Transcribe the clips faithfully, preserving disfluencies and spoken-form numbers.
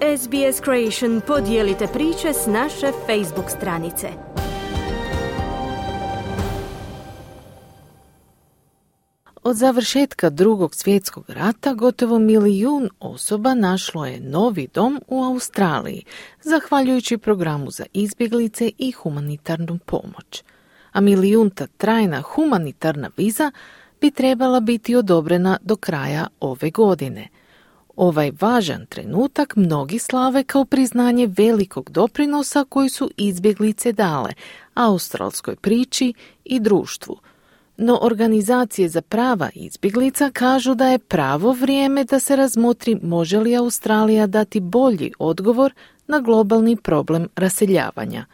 S B S Creation podijelite priče s naše Facebook stranice. Od završetka Drugog svjetskog rata gotovo milijun osoba našlo je novi dom u Australiji, zahvaljujući programu za izbjeglice i humanitarnu pomoć. A milijunta trajna humanitarna viza bi trebala biti odobrena do kraja ove godine. Ovaj važan trenutak mnogi slave kao priznanje velikog doprinosa koji su izbjeglice dale australskoj priči i društvu. No organizacije za prava izbjeglica kažu da je pravo vrijeme da se razmotri može li Australija dati bolji odgovor na globalni problem raseljavanja.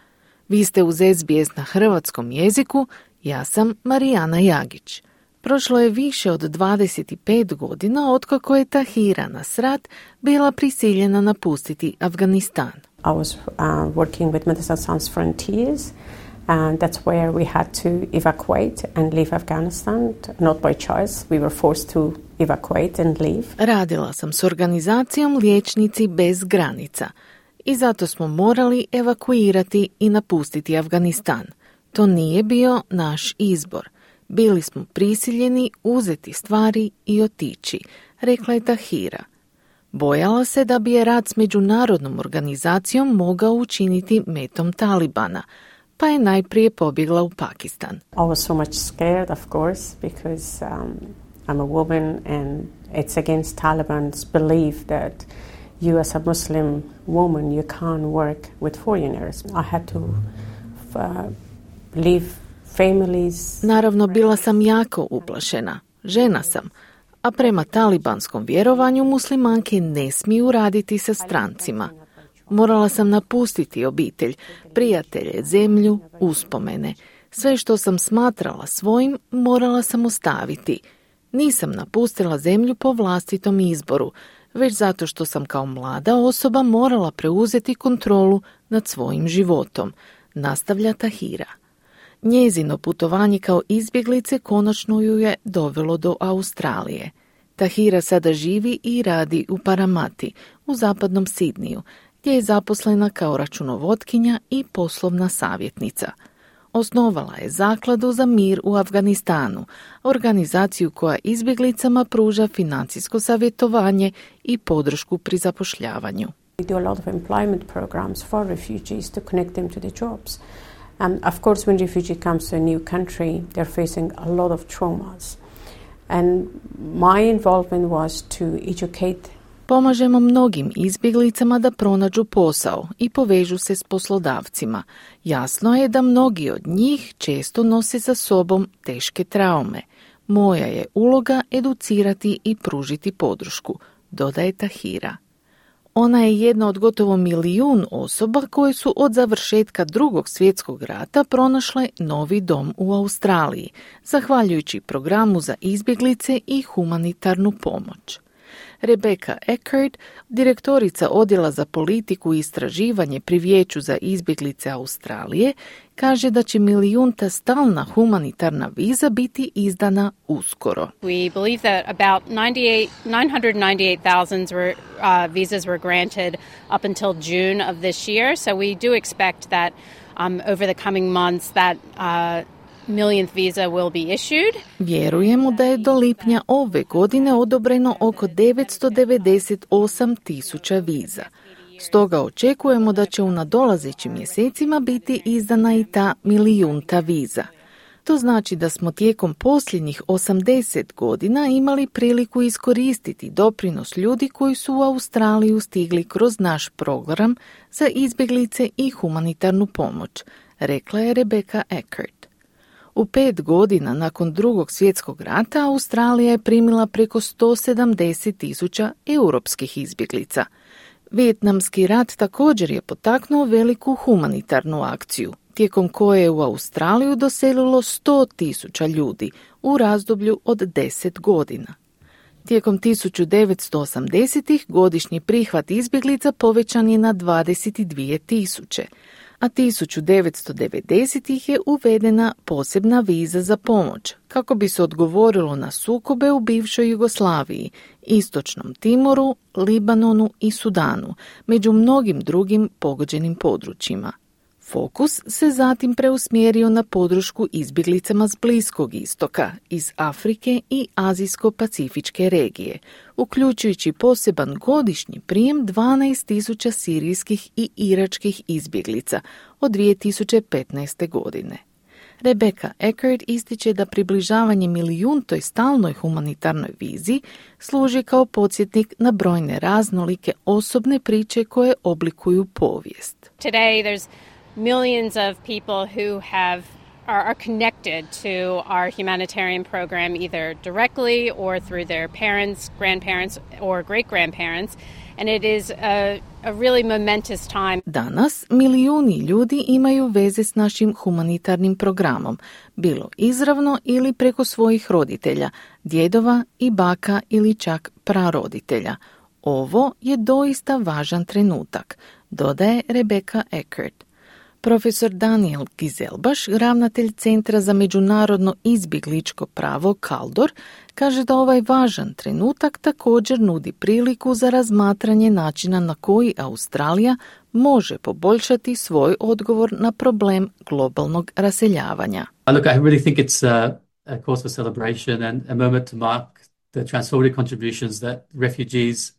Vi ste uz S B S na hrvatskom jeziku, ja sam Marijana Jagić. Prošlo je više od dvadeset pet godina otkako je Tahira Nasrat bila prisiljena napustiti Afganistan. I was uh, working with Medecins Sans Frontières, and that's where we had to evacuate and leave Afghanistan, not by choice. We were forced to evacuate and leave. Radila sam s organizacijom Liječnici bez granica i zato smo morali evakuirati i napustiti Afganistan. To nije bio naš izbor. Bili smo prisiljeni uzeti stvari i otići, rekla je Tahira. Bojala se da bi je rad s međunarodnom organizacijom mogao učiniti metom Talibana, pa je najprije pobjegla u Pakistan. I was so much scared, of course, because um, I'm a woman and it's against Taliban's belief that you as a Muslim woman, you can't work with foreigners. I had to uh, leave families. Naravno, bila sam jako uplašena. Žena sam, a prema talibanskom vjerovanju muslimanke ne smiju raditi sa strancima. Morala sam napustiti obitelj, prijatelje, zemlju, uspomene. Sve što sam smatrala svojim, morala sam ostaviti. Nisam napustila zemlju po vlastitom izboru, već zato što sam kao mlada osoba morala preuzeti kontrolu nad svojim životom, nastavlja Tahira. Njezino putovanje kao izbjeglice konačno ju je dovelo do Australije. Tahira sada živi i radi u Paramati, u zapadnom Sidniju, gdje je zaposlena kao računovotkinja i poslovna savjetnica. Osnovala je Zakladu za mir u Afganistanu, organizaciju koja izbjeglicama pruža financijsko savjetovanje i podršku pri zapošljavanju. We do a lot of employment programs for refugees to connect them to the jobs. And of course, when refugee comes to a new country, they're facing a lot of traumas. And my involvement was to educate. Pomažemo mnogim izbjeglicama da pronađu posao i povežu se s poslodavcima. Jasno je da mnogi od njih često nose sa sobom teške traume. Moja je uloga educirati i pružiti podršku, dodaje Tahira. Ona je jedna od gotovo milijun osoba koje su od završetka Drugog svjetskog rata pronašle novi dom u Australiji, zahvaljujući programu za izbjeglice i humanitarnu pomoć. Rebecca Eckert, direktorica Odjela za politiku i istraživanje pri Vijeću za izbjeglice Australije, kaže da će milijunta stalna humanitarna viza biti izdana uskoro. We believe that about nine hundred ninety-eight thousand were, uh, visas were granted up until June of this year, so we do expect that um, over the coming months that uh, millionth visa will be issued. Vjerujemo da je do lipnja ove godine odobreno oko devetsto devedeset osam tisuća viza. Stoga očekujemo da će u nadolazećim mjesecima biti izdana i ta milijunta viza. To znači da smo tijekom posljednjih osamdeset godina imali priliku iskoristiti doprinos ljudi koji su u Australiju stigli kroz naš program za izbjeglice i humanitarnu pomoć, rekla je Rebecca Eckert. U pet godina nakon Drugog svjetskog rata Australija je primila preko sto sedamdeset tisuća europskih izbjeglica. Vijetnamski rat također je potaknuo veliku humanitarnu akciju, tijekom koje je u Australiju doselilo sto tisuća ljudi u razdoblju od deset godina. Tijekom tisuću devetsto osamdesetih godišnji prihvat izbjeglica povećan je na dvadeset dvije tisuće, a tisuću devetsto devedesetih je uvedena posebna viza za pomoć kako bi se odgovorilo na sukobe u bivšoj Jugoslaviji, Istočnom Timoru, Libanonu i Sudanu, među mnogim drugim pogođenim područjima. Fokus se zatim preusmjerio na podršku izbjeglicama s Bliskog istoka, iz Afrike i Azijsko-pacifičke regije, uključujući poseban godišnji prijem dvanaest tisuća sirijskih i iračkih izbjeglica od dvije tisuće petnaeste. godine. Rebecca Eckert ističe da približavanje milijuntoj stalnoj humanitarnoj vizi služi kao podsjetnik na brojne raznolike osobne priče koje oblikuju povijest. Today there's millions of people who have are, are connected to our humanitarian program either directly or through their parents, grandparents or great-grandparents, and it is a, a really momentous time. Danas milijuni ljudi imaju veze s našim humanitarnim programom, bilo izravno ili preko svojih roditelja, djedova i baka ili čak praroditelja. Ovo je doista važan trenutak, dodaje Rebecca Eckert. Profesor Daniel Gizelbaš, ravnatelj Centra za međunarodno izbjegličko pravo Kaldor, kaže da ovaj važan trenutak također nudi priliku za razmatranje načina na koji Australija može poboljšati svoj odgovor na problem globalnog raseljavanja. Look, I really think it's a, a cause for celebration and a moment to mark the transformative contributions that refugees uh,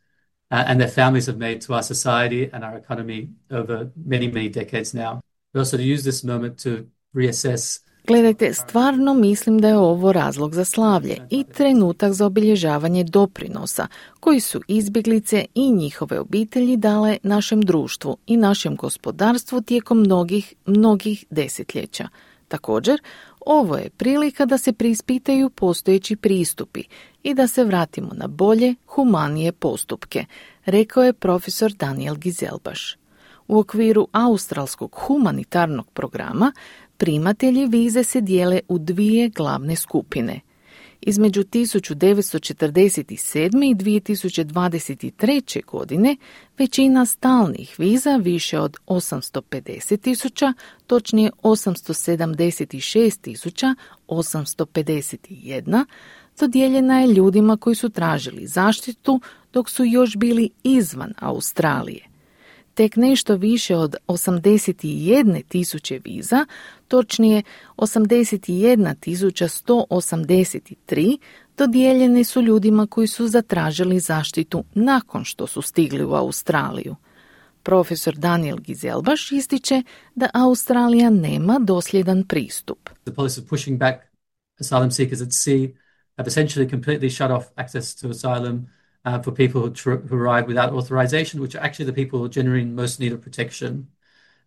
and their families have made to our society and our economy over many, many decades now. We also use this moment to reassess. Gledajte, stvarno mislim da je ovo razlog za slavlje i trenutak za obilježavanje doprinosa koji su izbjeglice i njihove obitelji dale našem društvu i našem gospodarstvu tijekom mnogih, mnogih desetljeća. Također, ovo je prilika da se preispitaju postojeći pristupi i da se vratimo na bolje, humanije postupke, rekao je profesor Daniel Gizelbaš. U okviru australskog humanitarnog programa primatelji vize se dijele u dvije glavne skupine. Između tisuću devetsto četrdeset sedme. i dvije tisuće dvadeset treće. godine većina stalnih viza, više od osamsto pedeset tisuća, točnije osamsto sedamdeset šest tisuća osamsto pedeset jedna, dodijeljena je ljudima koji su tražili zaštitu dok su još bili izvan Australije. Tek nešto više od osamdeset jedne tisuće viza, točnije osamdeset jedna tisuća sto osamdeset tri, dodijeljene su ljudima koji su zatražili zaštitu nakon što su stigli u Australiju. Profesor Daniel Gizelbaš ističe da Australija nema dosljedan pristup. The policy of pushing back asylum seekers at sea have essentially completely shut off access to asylum Uh, for people who, tr- who arrive without authorization, which are actually the people who generally in most need of protection.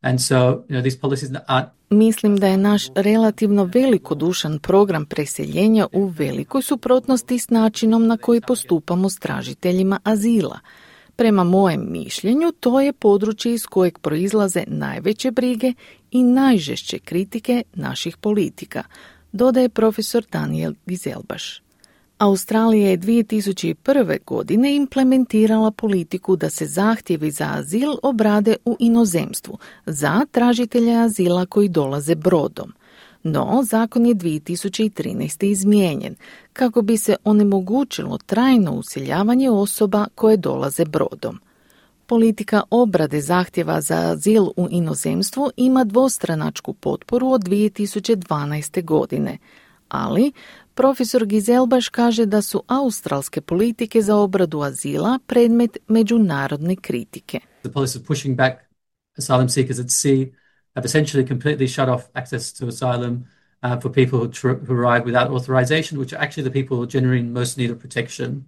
And so, you know, these policies aren't... Mislim da je naš relativno velikodušan program preseljenja u velikoj suprotnosti s načinom na koji postupamo s tražiteljima azila. Prema mojem mišljenju, to je područje iz kojeg proizlaze najveće brige i najžešće kritike naših politika, dodaje profesor Daniel Gizelbaš. Australija je dvije tisuće prve. godine implementirala politiku da se zahtjevi za azil obrade u inozemstvu za tražitelje azila koji dolaze brodom. No, zakon je dvije tisuće trinaeste. izmijenjen kako bi se onemogućilo trajno useljavanje osoba koje dolaze brodom. Politika obrade zahtjeva za azil u inozemstvu ima dvostranačku potporu od dvije tisuće dvanaeste. godine, ali profesor Gizelbaš kaže da su australske politike za obradu azila predmet međunarodne kritike. The policy of pushing back asylum seekers at sea have essentially completely shut off access to asylum uh, for people who, tr- who arrive without authorization, which are actually the people who generally in most need of protection.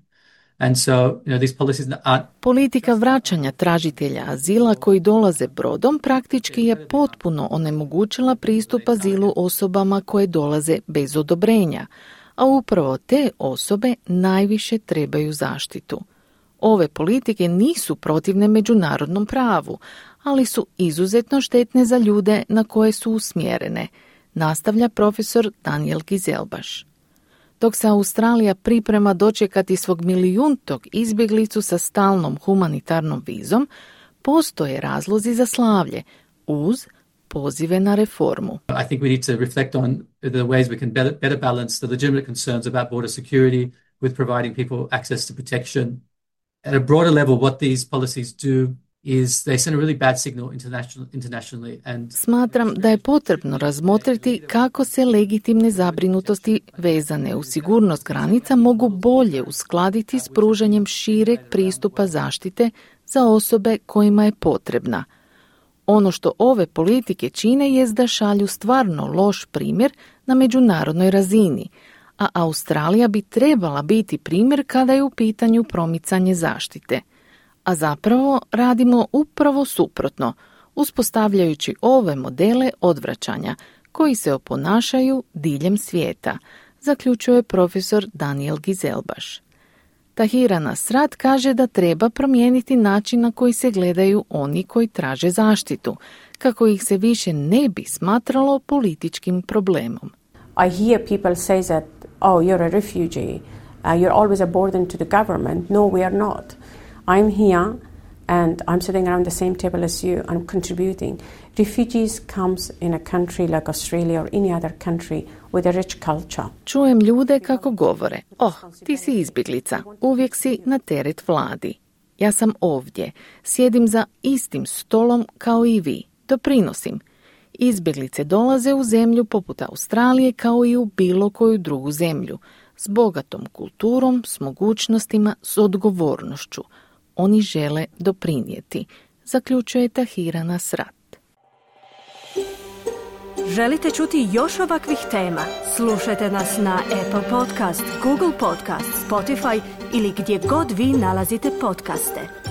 And so, you know, these policies aren't... Politika vraćanja tražitelja azila koji dolaze brodom praktički je potpuno onemogućila pristup azilu osobama koje dolaze bez odobrenja, a upravo te osobe najviše trebaju zaštitu. Ove politike nisu protivne međunarodnom pravu, ali su izuzetno štetne za ljude na koje su usmjerene, nastavlja profesor Daniel Gizelbaš. Dok se Australija priprema dočekati svog milijuntog izbjeglicu sa stalnom humanitarnom vizom, postoje razlozi za slavlje, uz pozive na reformu. I think we need to reflect on the ways we can better, better balance the legitimate concerns about border security with providing people access to protection. At a broader level, what these policies do is they send a really bad signal international, internationally. And Smatram da je potrebno razmotriti kako se legitimne zabrinutosti vezane u sigurnost granica mogu bolje uskladiti s pružanjem šireg pristupa zaštite za osobe kojima je potrebna. Ono što ove politike čine jest da šalju stvarno loš primjer na međunarodnoj razini, a Australija bi trebala biti primjer kada je u pitanju promicanje zaštite. A zapravo radimo upravo suprotno, uspostavljajući ove modele odvraćanja koji se oponašaju diljem svijeta, zaključuje profesor Daniel Gizelbaš. Tahira Nasrat kaže da treba promijeniti način na koji se gledaju oni koji traže zaštitu, kako ih se više ne bi smatralo političkim problemom. I hear people say that, oh, you're a refugee, uh, you're always a burden to the government. No, we are not. I'm here and I'm sitting around the same table as you. I'm contributing. Refugees comes in a country like Australia or any other country with a rich culture. Čujem ljude kako govore, oh, ti si izbjeglica, uvijek si na teret vladi. Ja sam ovdje, sjedim za istim stolom kao i vi, doprinosim. Izbjeglice dolaze u zemlju poput Australije kao i u bilo koju drugu zemlju, s bogatom kulturom, s mogućnostima, s odgovornošću. Oni žele doprinijeti, zaključuje Tahira Nasrat. Želite čuti još ovakvih tema? Slušajte nas na Apple Podcast, Google Podcast, Spotify ili gdje god vi nalazite podcaste.